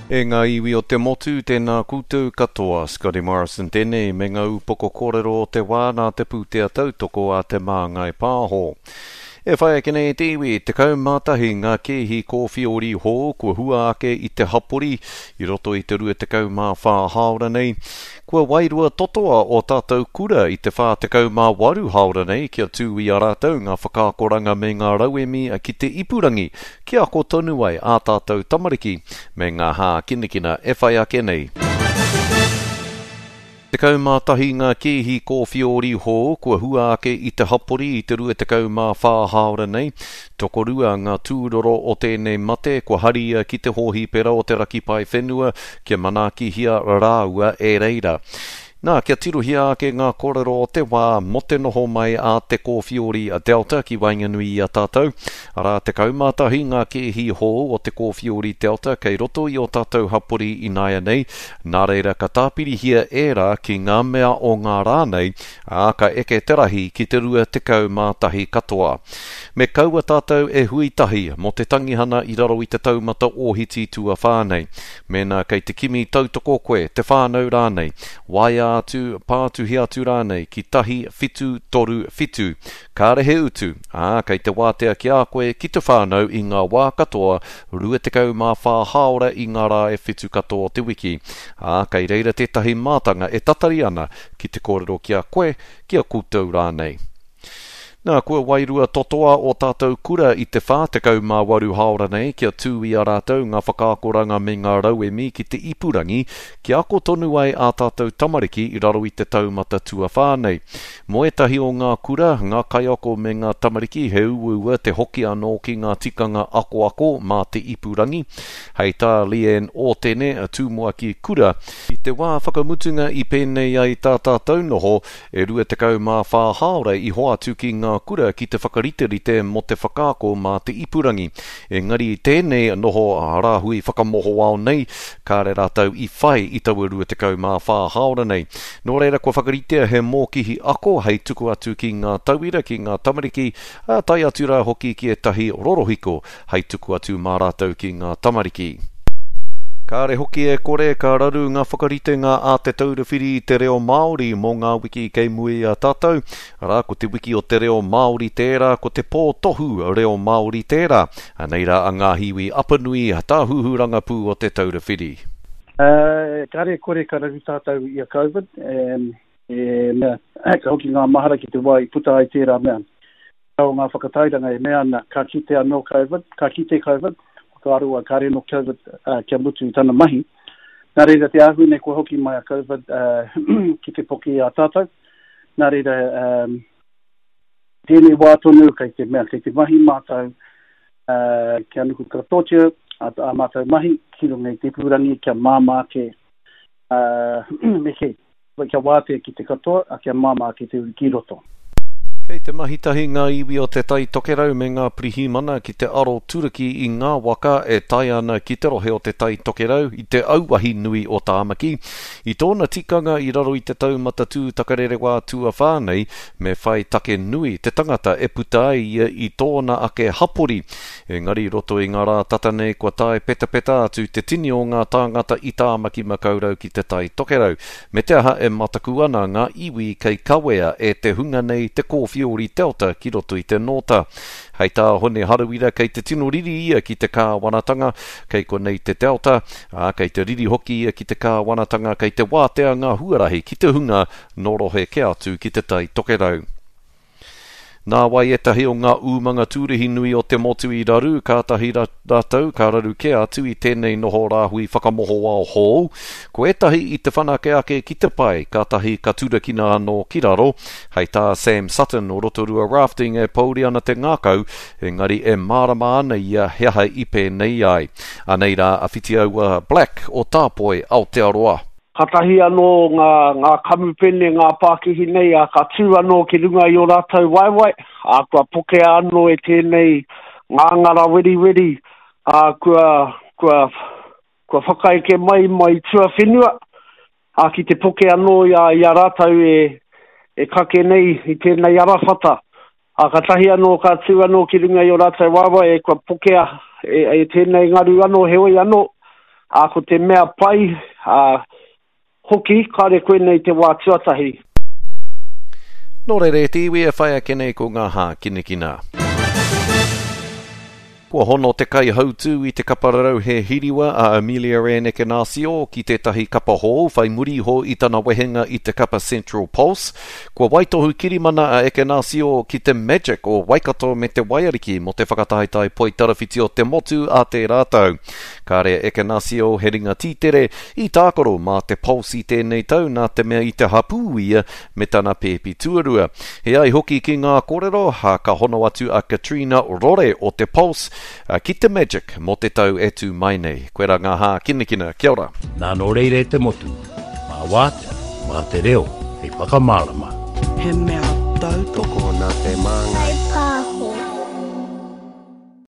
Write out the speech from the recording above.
E ngā iwi o te motu, tēnā koutou katoa. Scotty Morrison tēnei me ngā upoko kōrero o te wā nā te pūtea tautoko a Te Māngai Pāho. E whai ake nei te iwi, 11 ngā kēhi kōwhiori hou kua hua ake i te hapori i roto i te 24 hāora nei. Kua wairua totoa ō tātou kura i te 48 hāora nei kia tū i a rātou ngā whakaakoranga me ngā rauemi ki te ipurangi kia ako tonu ai ā tātou tamariki me ngā hākinakina e whai ake nei. 11 ngā kēhi kōwhiori hou kua hua ake i te hapori i te 24 hāora nei. Tokorua ngā tūroro o tēnei mate kua haria ki te hōhipera o te Raki Paewhenua kia manaakihia rāua e reira. Nā, kia tirohia ake ngā kōrero o te wā mō te noho mai a te kōwhiori a Delta ki waenganui i a tātou. Arā, 11 ngā kēhi hou o te kōwhiori Delta kei roto i ō tātou hapori ināianei, nā reira ka tāpirihia ērā ki ngā mea o ngā rā nei, ā, ka eke te rahi ki te 21 katoa. Me kaua tātou e hui tahi mō te tangihana i raro i te taumata ōhiti tuawhā nei. Mēnā kei te kimi tautoko koe, te whānau rānei, waea atu, pātuhi atu rānei ki 1737. Kāre he utu, ā, kei te wātea ki a koe, ki te whānau i ngā wā katoa, 24 hāora i ngā rā e whitu katoa o te wiki. Ā, kei reira tētahi mātanga e tatari ana ki te kōrero ki a koe, ki a koutou rānei. Nā, kua wairua totoa ō tātou kura i te 48 hāora nei kia tū i a rātou ngā whakaakoranga me ngā rauemi ki te ipurangi kia ako tonu ai ā tātou tamariki i raro i te taumata tuawhā nei. Mō ētahi o ngā kura, ngā kaiako me ngā tamariki he uaua te hoki anō ki ngā tikanga akoako mā te ipurangi. Hei tā Leanne Ōtene, Tumuaki Kura, I te wā whakamutunga i pēnei ai tā tātou noho, E 24 hāora i hoatu ki ngā kura ki te whakariterite mō te whakaako mā te ipurangi. Engari i tēnei noho rāhui whakamohoao nei, kāre rātou i whai i taua 24 hāora nei. Nō reira kua whakaritea he mōkihi ako hei tuku atu ki ngā tauira, ki ngā tamariki, ā, tae atu rā hoki ki ētahi rorohiko hei tuku atu mā rātou ki ngā tamariki. Kāre hoki e kore ka raru ngā whakaritenga a Te Taura Whiri i te Reo Māori mō ngā wiki kei mua i a tātou, arā, ko te Wiki o te Reo Māori tērā, ko te Pō Tohu Reo Māori tērā. Anei rā a Ngāhiwi Apanui, Tāhuhu Rangapū o Te Taura Whiri. Kāre e kore ka raru tātou i a Covid, e mea, ka hoki ngā mahara ki te wā i puta ai tērā mea. o ngā whakatairanga e mea ana ka kite anō Covid, ka kite Covid, whakaaro a kāre anō Covid kia mutu i tana mahi. Nā reira te āhua nei kua hoki mai a Covid ki te poke i a tātou. Nā reira, tēnei wā tonu kei te mea, kei te mahi mātou kia nuku katoatia ā mātou mahi ki runga i te ipurangi kia māmā ake me kī. Kia wātea ki te katoa, a kia māmā ake te uru ki roto. Kei te mahi tahi ngā iwi o Te Tai Tokerau me ngā pirihimana ki te aro turuki i ngā waka e tae ana ki te rohe o Te Tai Tokerau i te auahi nui o Tāmaki. I tōna tikanga i raro i te taumata tūtakarerewā tuawhā nei, me whai take nui te tangata e puta ai ia i tōna ake hapori. Engari i roto i ngā rā tata nei kua tae petapeta atu te tini o ngā tāngata i Tāmaki Makaurau ki Te Tai Tokerau, me te aha e mataku ana ngā iwi kei kawea e te hunga nei te kōwhiori Delta ki roto i te nōta. Hei tā Hone Harawira kei te tino riri ia ki te kāwanatanga kei konei te Delta, ā, kei te riri hoki ia ki te kāwanatanga kei te wātea ngā huarahi ki te hunga nō rohe kē atu ki Te Tai Tokerau. Nāwai ētahi o ngā umanga tūrihi nui o te motu i raru, kātahi rātou ka raru kē atu i tēnei noho rāhui whakamohoao hou. Ko ētahi i te whanake ake ki te pae, kātahi ka turakina anō ki raro. Hei tā Sam Sutton o Rotorua Rafting e pouri ana te ngākau, engari e mārama ana ia he aha i pēnei ai. Anei rā a Whitiaua Black o Tāpoi, Aotearoa. Katahi anō ngā, ngā kamupene, ngā pākihi nei, ā, ka tū anō ki runga i ō rātou waewae, ā, kua pokea anō e tēnei ngāngara weriweri, ā, kua, kua, kua whakaeke mai mai tuawhenua, ā, ki te poke anō i a, i a rātou e, e kake nei i tēnei arawhata. Ā, katahi anō ka tū anō ki runga i ō rātou waewae, e kua pokea e, e tēnei ngaru anō, heoi anō. Ā, ko te mea pai, ā, hoki, kāre koinei te wā tuatahi. Nō reira e te iwi e whai ake nei ko ngā hākinakina. Kua hono te kaihautū i te kapa rarauhe hiriwa a Amelia Ann Ekenasio ki tētahi kapa hou whai muri iho i tana wehenga i te kapa Central Pulse. Kua waitohu kirimana a Ekenasio ki te Magic o Waikato me te Waiariki mō te whakataetae poitarawhiti o te motu a tērā tau. Kāre a Ekenasio he ringa tītere i tākaro mā te Pulse i tēnei tau nā te mea i te hapū ia me tana pēpi tuarua. He ai hoki ki ngā kōrero, ka hono atu a Katrina Rore o te Pulse ki te Magic mō te tau e tū mai nei. Koirā ngā hākinakina. Kia ora. Nā nō reira e te motu, mā wātea, mā te reo hei whakamārama. He mea tautoko. Tokona te māngai.